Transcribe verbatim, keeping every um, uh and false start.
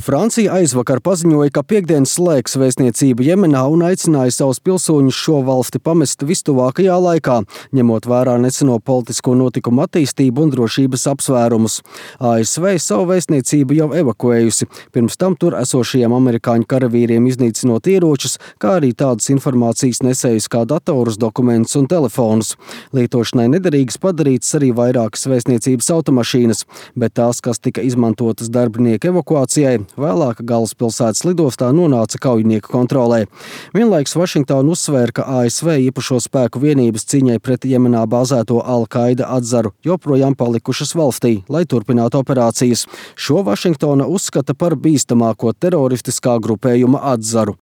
Francija aizvakar paziņoja, ka piektdien slēgs vēstniecību Jemenā un aicināja savus pilsoņus šo valsti pamest vistuvākajā laikā, ņemot vērā neseno politisko notikumu attīstību un drošības apsvērumus. A S V savu vēstniecību jau evakuējusi, pirms tam tur esošajiem amerikāņu karavīriem iznīcinot ieročus, kā arī tādas informācijas nesējus kā datorus, dokumentus un telefonus. Lietošanai nederīgas padarītas arī vairākas vēstniecības automašīnas, bet tās, kas tika izmantotas darbinieku evakuācijai, vēlāk galvaspilsētas lidostā nonāca kaujinieku kontrolē. Vienlaikus Vašingtona uzsvēra, ka A S V īpašo spēku vienības cīņai pret Jemenā bāzēto Al-Qaida atzaru joprojām palikušas valstī, lai turpinātu operācijas. Šo Vašingtona uzskata par bīstamāko teroristiskā grupējuma atzaru.